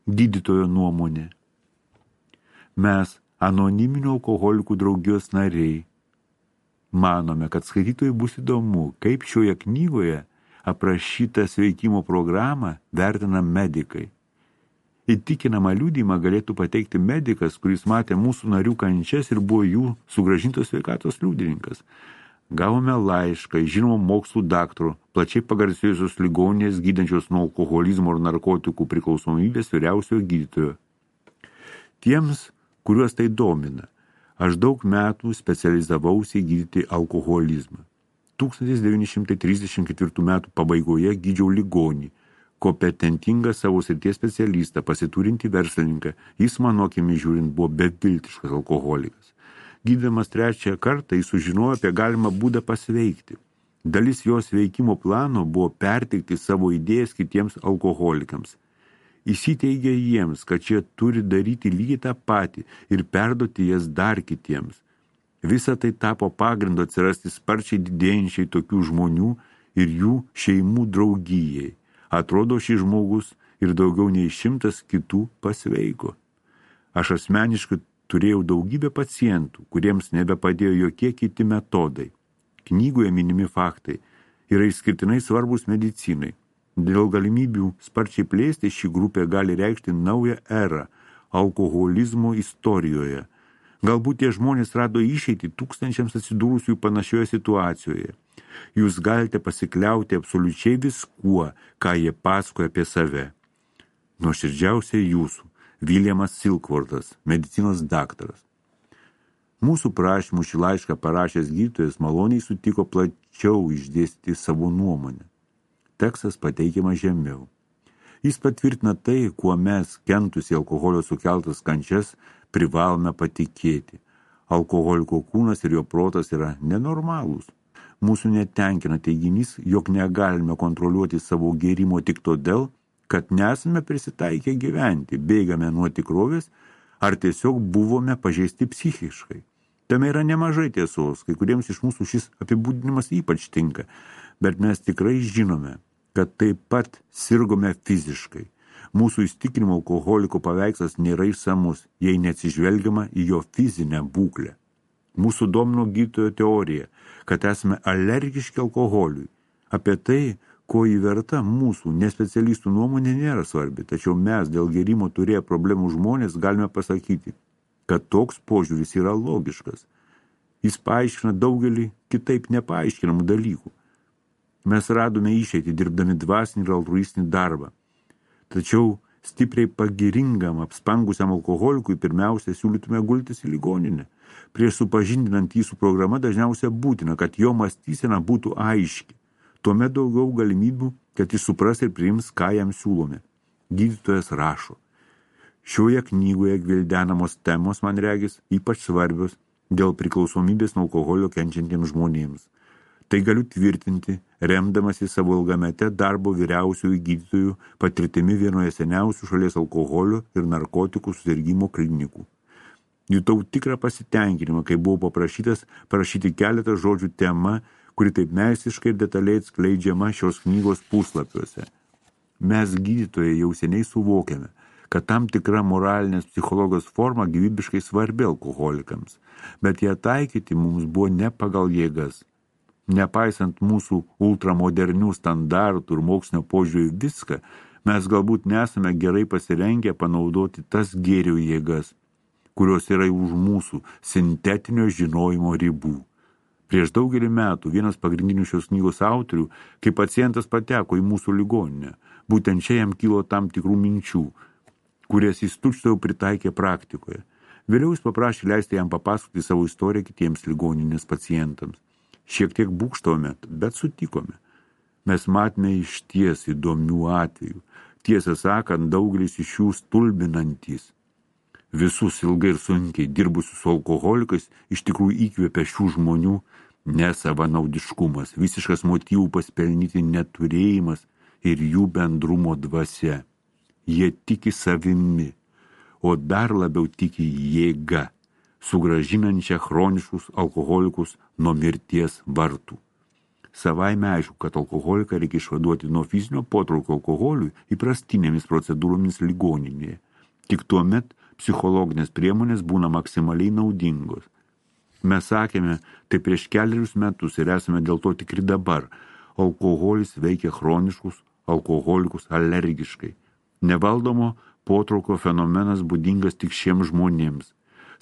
Gydytojo nuomonė. Mes, anoniminių alkoholikų draugijos nariai, manome, kad skaitytojai bus įdomu, kaip šioje knygoje aprašytą sveikimo programą vertina medikai. Įtikinamą liudijimą galėtų pateikti medikas, kuris matė mūsų narių kančias ir buvo jų sugrąžintos sveikatos liudininkas. Gavome laišką iš žinomo mokslų daktaro, plačiai pagarsėjusios ligoninės gydančios nuo alkoholizmo ir narkotikų priklausomybės vyriausiojo gydytojo. Tiems, kuriuos tai domina, aš daug metų specializavausi gydyti alkoholizmą. 1934 metų pabaigoje gydžiau ligonį, kompetentingą savo srities specialistą, pasiturintį verslininką. Jis, mano akimis žiūrint, buvo beviltiškas alkoholikas. Gydamas 3 kartą, jis sužinojo apie galimą būdą pasveikti. Dalis jos veikimo plano buvo perteikti savo idėjas kitiems alkoholikams. Įsiteigė jiems, kad šie turi daryti lygiai tą patį ir perduoti jas dar kitiems. Visa tai tapo pagrindu atsirasti sparčiai didėjančiai tokių žmonių ir jų šeimų draugijai. Atrodo, šis žmogus ir daugiau nei 100 kitų pasveiko. Aš asmeniškai turėjau daugybę pacientų, kuriems nebepadėjo jokie kiti metodai. Knygoje minimi faktai yra išskirtinai svarbus medicinai. Dėl galimybių sparčiai plėsti ši grupė gali reikšti naują erą alkoholizmo istorijoje. Galbūt tie žmonės rado išeitį tūkstančiams atsidūrusių panašioje situacijoje. Jūs galite pasikliauti absoliučiai viskuo, ką jie pasakoja apie save. Nuoširdžiausiai jūsų, Viljamas Silkvortas, medicinos daktaras. Mūsų prašymų šį laišką parašęs gydytojas maloniai sutiko plačiau išdėstyti savo nuomonę. Tekstas pateikiamas žemiau. Jis patvirtina tai, kuo mes, kentusi alkoholio sukeltas kančias, privalome patikėti. Alkoholiko kūnas ir jo protas yra nenormalūs. Mūsų netenkina teiginys, jog negalime kontroliuoti savo gėrimo tik todėl, kad nesame prisitaikę gyventi, bėgame nuo tikrovės ar tiesiog buvome pažeisti psichiškai. Tame yra nemažai tiesos, kai kuriems iš mūsų šis apibūdinimas ypač tinka, bet mes tikrai žinome, kad taip pat sirgome fiziškai. Mūsų įsitikinimo alkoholiko paveikslas nėra išsamus, jei neatsižvelgiama į jo fizinę būklę. Mūsų domino gydytojo teorija, kad esame alergiški alkoholiui. Apie tai, ko įverta mūsų nespecialistų nuomonė nėra svarbi, tačiau mes dėl gėrimo turėję problemų žmonės galime pasakyti, kad toks požiūris yra logiškas. Jis paaiškina daugelį kitaip nepaaiškinamų dalykų. Mes radome išeitį dirbdami dvasinį ir altruistinį darbą. Tačiau stipriai pagiringam, apspangusiam alkoholikui pirmiausia siūlytume gultis į ligoninę. Prieš supažindinant jį su programa dažniausiai būtina, kad jo mąstysena būtų aiški. Tuomet daugiau galimybių, kad jis supras ir priims, ką jam siūlome. Gydytojas rašo. Šioje knygoje gvildenamos temos, man regis, ypač svarbios dėl priklausomybės nuo alkoholio kenčiantiems žmonėms. Tai galiu tvirtinti, remdamasi savo ilgamete darbo vyriausiųjų gydytojų patirtimi vienoje seniausių šalies alkoholio ir narkotikų susirgimo klinikų. Jutau tikrą pasitenkinimą, kai buvau paprašytas parašyti keletą žodžių tema, kuri taip meistriškai ir detaliai atskleidžiama šios knygos puslapiuose. Mes gydytojai jau seniai suvokiame, kad tam tikra moralinės psichologijos forma gyvybiškai svarbi alkoholikams, bet ją taikyti mums buvo ne pagal jėgas. Nepaisant mūsų ultramodernių standartų ir mokslinio požiūrių viską, mes galbūt nesame gerai pasirengę panaudoti tas gėrio jėgas, kurios yra už mūsų sintetinio žinojimo ribų. Prieš daugelį metų vienas pagrindinių šios knygos autorių, kai pacientas pateko į mūsų ligoninę, būtent čia jam kilo tam tikrų minčių, kurias jis tučtuojau pritaikė praktikoje. Vėliau jis paprašė leisti jam papasakoti savo istoriją kitiems ligoninės pacientams. Šiek tiek būkštavome, bet sutikome. Mes matėme išties įdomių atvejų. Tiesą sakant, daugelis iš jų stulbinantys. Visus ilgai ir sunkiai dirbusius su alkoholikais iš tikrųjų įkvėpė šių žmonių nesavanaudiškumas, visiškas motyvų paspelnyti neturėjimas ir jų bendrumo dvasia. Jie tiki savimi, o dar labiau tiki jėga, sugrąžinančią chroniškus alkoholikus nuo mirties vartų. Savaime aišku, kad alkoholiką reikia išvaduoti nuo fizinio potraukio alkoholiui įprastinėmis procedūromis ligoninėje. Tik tuomet psichologinės priemonės būna maksimaliai naudingos. Mes sakėme tai prieš kelerius metus ir esame dėl to tikri dabar. Alkoholis veikia chroniškus alkoholikus alergiškai. Nevaldomo potraukio fenomenas būdingas tik šiems žmonėms.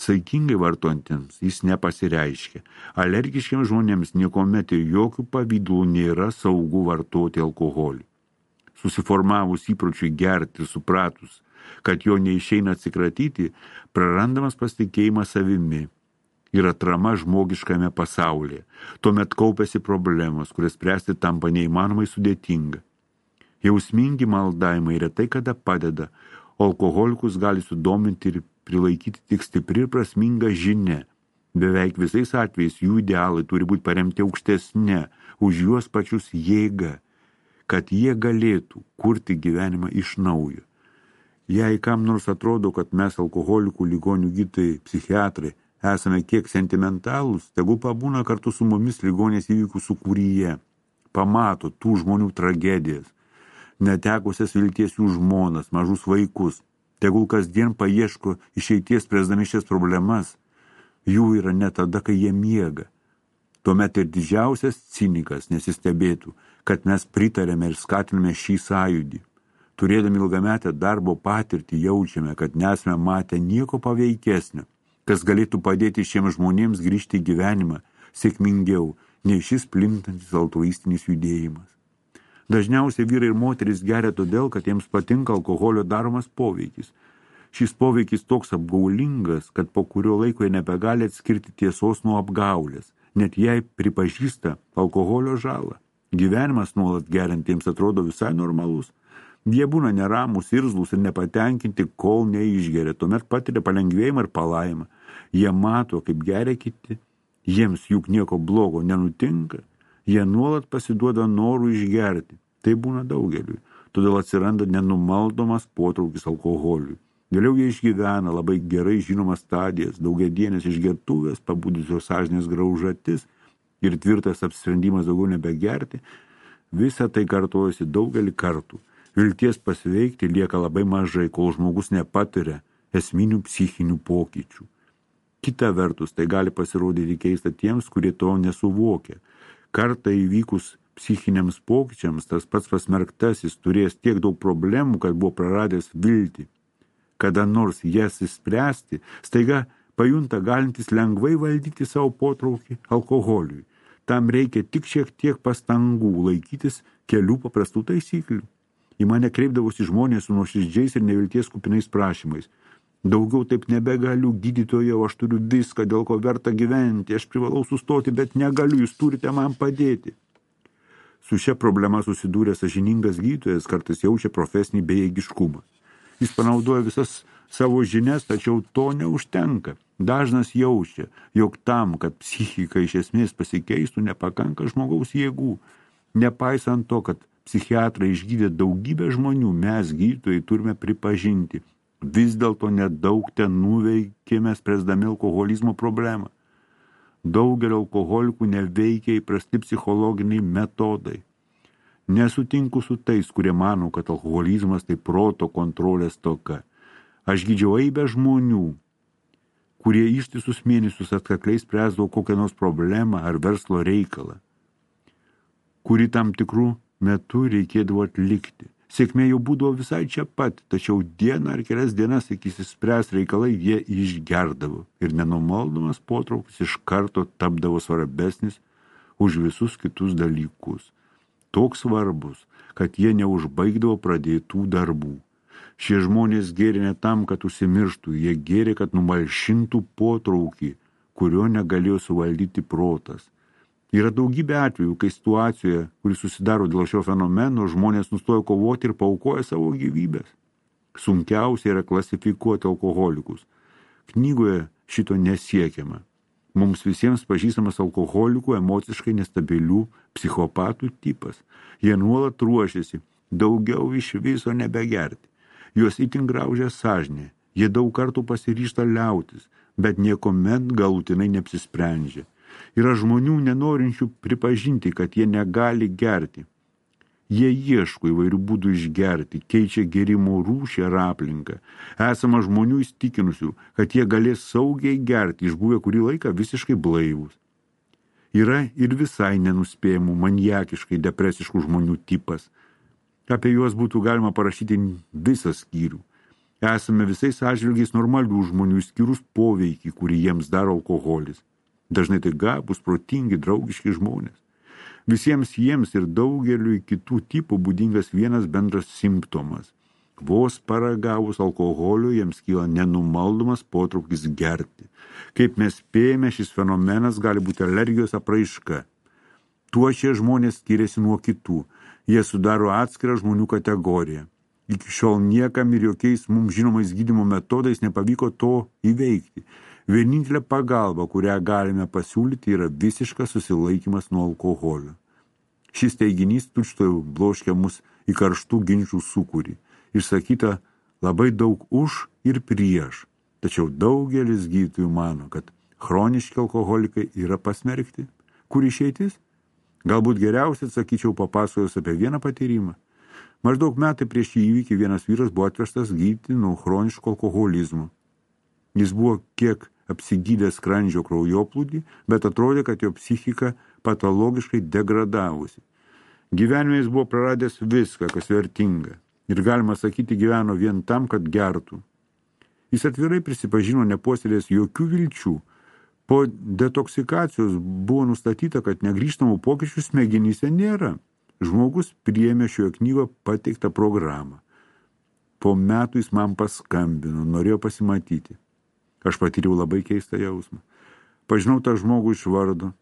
Saikingai vartojantiems jis nepasireiškia. Alergiškiams žmonėms niekuomet ir jokių pavydų nėra saugu vartoti alkoholį. Susiformavus įpročiui gerti ir supratus, kad jo neišeina atsikratyti, prarandamas pasitikėjimas savimi ir atrama žmogiškame pasaulyje. Tuomet kaupiasi problemos, kurias spręsti tampa neįmanomai sudėtinga. Jausmingi maldavimai retai kada padeda, o alkoholikus gali sudominti ir prilaikyti tik stipri ir prasminga žinia. Beveik visais atvejais jų idealai turi būti paremti aukštesnė, už juos pačius jėga, kad jie galėtų kurti gyvenimą iš naujo. Jei kam nors atrodo, kad mes alkoholikų ligonių gydytojai, psichiatrai, esame kiek sentimentalūs, tegu pabūna kartu su mumis ligonės įvykių sūkuryje, pamato tų žmonių tragedijas, netekusias vilties jų žmonas, mažus vaikus, tegul kasdien paieško išeities spręsdami šias problemas, jų yra ne tada, kai jie miega. Tuomet ir didžiausias cinikas nesistebėtų, kad mes pritarėme ir skatiname šį sąjūdį. Turėdami ilgametę darbo patirtį jaučiame, kad nesame matę nieko paveikesnio, kas galėtų padėti šiems žmonėms grįžti į gyvenimą sėkmingiau nei šis plintantis altruistinis judėjimas. Dažniausiai vyrai ir moterys geria todėl, kad jiems patinka alkoholio daromas poveikis. Šis poveikis toks apgaulingas, kad po kurio laiko jie nebegali atskirti tiesos nuo apgaulės, net jei pripažįsta alkoholio žalą. Gyvenimas nuolat geriantiems atrodo visai normalus. Jie būna neramus, irzlus ir nepatenkinti, kol neišgeria, tuomet patiria palengvėjimą ir palaimą. Jie mato, kaip geria kiti, jiems juk nieko blogo nenutinka, jie nuolat pasiduoda norų išgerti. Tai būna daugeliui, todėl atsiranda nenumaldomas potraukis alkoholiui. Vėliau jie išgyvena labai gerai žinomas stadijas, daugiadienės išgertuvės, pabudusios sąžinės graužatis ir tvirtas apsisprendimas daugiau nebegerti. Visa tai kartojasi daugelį kartų. Vilties pasveikti lieka labai mažai, kol žmogus nepatiria esminių psichinių pokyčių. Kita vertus, tai gali pasirodyti keista tiems, kurie to nesuvokia. Kartą įvykus psichiniams pokyčiams, tas pats pasmerktasis turės tiek daug problemų, kad buvo praradęs viltį. Kada nors jas išspręsti, staiga pajunta galintis lengvai valdyti savo potraukį alkoholiui. Tam reikia tik šiek tiek pastangų laikytis kelių paprastų taisyklių. Į mane kreipdavosi žmonės su nuoširdžiais ir nevilties kupinais prašymais. Daugiau taip nebegaliu, gydytojau, aš turiu viską, dėl ko verta gyventi, aš privalau sustoti, bet negaliu, jūs turite man padėti. Su šia problema susidūręs sąžiningas gydytojas kartais jaučia profesinį bejėgiškumą. Jis panaudoja visas savo žinias, tačiau to neužtenka. Dažnas jaučia, jog tam, kad psichika iš esmės pasikeistų, nepakanka žmogaus jėgų. Nepaisant to, kad psichiatrai išgydė daugybę žmonių, mes gydytojai turime pripažinti. Vis dėlto nedaug ten nuveikėme spręsdami alkoholizmo problemą. Daugelio alkoholikų neveikia įprasti psichologiniai metodai. Nesutinku su tais, kurie mano, kad alkoholizmas tai proto kontrolės stoka. Aš gydžiau eibę žmonių, kurie ištisus mėnesius atkakliai spręsdavo kokią nors problemą ar verslo reikalą, kuri tam tikrų metu reikėdavo atlikti. Sėkmė jau būdavo visai čia pat, tačiau dieną ar kelias dienas iki išspręs reikalai jie išgerdavo ir nenumaldomas potraukis iš karto tapdavo svarbesnis už visus kitus dalykus. Toks svarbus, kad jie neužbaigdavo pradėtų darbų. Šie žmonės gėrė ne tam, kad užsimirštų, jie gėrė, kad numalšintų potraukį, kurio negalėjo suvaldyti protas. Yra daugybė atvejų, kai situacijoje, kuri susidaro dėl šio fenomeno, žmonės nustojo kovoti ir paaukoja savo gyvybės. Sunkiausia yra klasifikuoti alkoholikus. Knygoje šito nesiekiama. Mums visiems pažįstamas alkoholikų emociškai nestabilių psichopatų tipas. Jie nuolat ruošiasi daugiau iš viso nebegerti. Juos itin graužia sąžinė. Jie daug kartų pasiryžta liautis, bet niekuomet galutinai neapsisprendžia. Yra žmonių nenorinčių pripažinti, kad jie negali gerti. Jie ieško įvairių būdų išgerti, keičia gėrimo rūšį ar aplinką. Esama žmonių įstikinusių, kad jie galės saugiai gerti, išbuvę kurį laiką visiškai blaivus. Yra ir visai nenuspėjamų, maniakiškai depresiškų žmonių tipas. Apie juos būtų galima parašyti visą skyrių. Esame visais atžvilgiais normalių žmonių, išskyrus poveikį, kurį jiems daro alkoholis. Dažnai tai gabūs, protingi, draugiški žmonės. Visiems jiems ir daugeliui kitų tipų būdingas vienas bendras simptomas. Vos paragavus alkoholio jiems kyla nenumaldomas potraukis gerti. Kaip mes spėjame, šis fenomenas gali būti alergijos apraiška. Tuo šie žmonės skiriasi nuo kitų. Jie sudaro atskirą žmonių kategoriją. Iki šiol niekam ir jokiais mums žinomais gydymo metodais nepavyko to įveikti. Vienintelė pagalba, kurią galime pasiūlyti, yra visiškas susilaikymas nuo alkoholio. Šis teiginys tučtuojau bloškia mus į karštų ginčių sūkurį. Išsakyta labai daug už ir prieš. Tačiau daugelis gydytojų mano, kad chroniški alkoholikai yra pasmerkti. Kur išeitis? Galbūt geriausiai atsakyčiau papasakojus apie vieną patyrimą. Maždaug metai prieš šį įvykį vienas vyras buvo atvežtas gydyti nuo chroniško alkoholizmo. Jis buvo kiek apsigydęs skrandžio kraujoplūdį, bet atrodė, kad jo psichika patologiškai degradavusi. Gyvenime jis buvo praradęs viską, kas vertinga. Ir galima sakyti, gyveno vien tam, kad gertų. Jis atvirai prisipažino nepuoselėjęs jokių vilčių. Po detoksikacijos buvo nustatyta, kad negrįžtamų pokyčių smegenyse nėra. Žmogus priėmė šioje knygoje pateiktą programą. Po metų jis man paskambino, norėjo pasimatyti. Aš patyriau labai keistą jausmą. Pažinau tą žmogų iš vardo.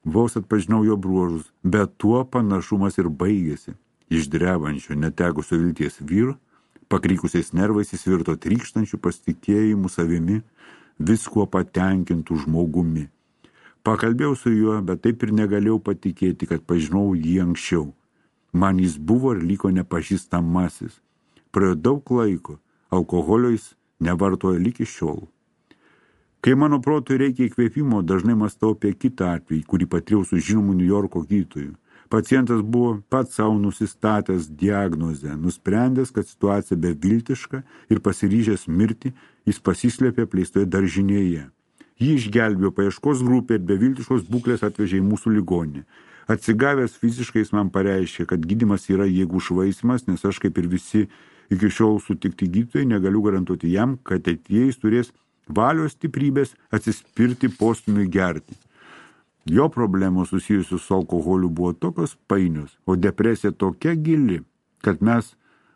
Vos atpažinau jo bruožus, bet tuo panašumas ir baigėsi. Iš drebančio, netekusio vilties vyro, pakrykusiais nervais jis virto trykštančių pasitikėjimų savimi, viskuo patenkintų žmogumi. Pakalbėjau su juo, bet taip ir negalėjau patikėti, kad pažinau jį anksčiau. Man jis buvo ir liko nepažįstamasis. Praėjo daug laiko, alkoholio jis nevartoja lyg iš šiol. Kai mano protui reikia įkvėpimo, dažnai mąstau apie kitą atvejį, kurį patyriau su žinomu Niujorko gydytoju. Pacientas buvo pats savo nusistatęs diagnozę, nusprendęs, kad situacija beviltiška ir pasiryžęs mirti, jis pasislėpė apleistoje daržinėje. Jį išgelbėjo paieškos grupė ir beviltiškos būklės atvežė į mūsų ligoninę. Atsigavęs fiziškai jis man pareiškė, kad gydymas yra jėgų švaistymas, nes aš kaip ir visi iki šiol sutikti gydytojai negaliu garantuoti jam, kad ateityje jis turės valios stiprybės atsispirti postūmiui gerti. Jo problemos susijusios su alkoholiu buvo tokios painios, o depresija tokia gili, kad mes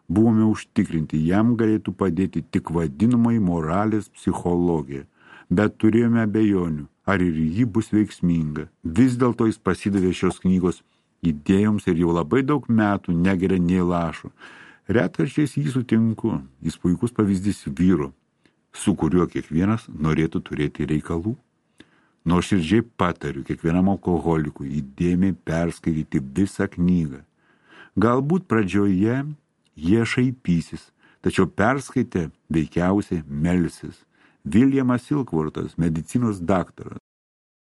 buvome užtikrinti, jam galėtų padėti tik vadinamai moralės psichologija. Bet turėjome abejonių, ar ir ji bus veiksminga. Vis dėlto jis pasidavė šios knygos idėjoms ir jau labai daug metų negeria nei lašo. Retkarčiais jį sutinku, jis puikus pavyzdys vyro, su kuriuo kiekvienas norėtų turėti reikalų. Nuoširdžiai patariu kiekvienam alkoholikui įdėmiai perskaityti visą knygą. Galbūt pradžioje jie šaipysis, tačiau perskaitę veikiausiai melsis. Viljamas Silkvortas, medicinos daktaras,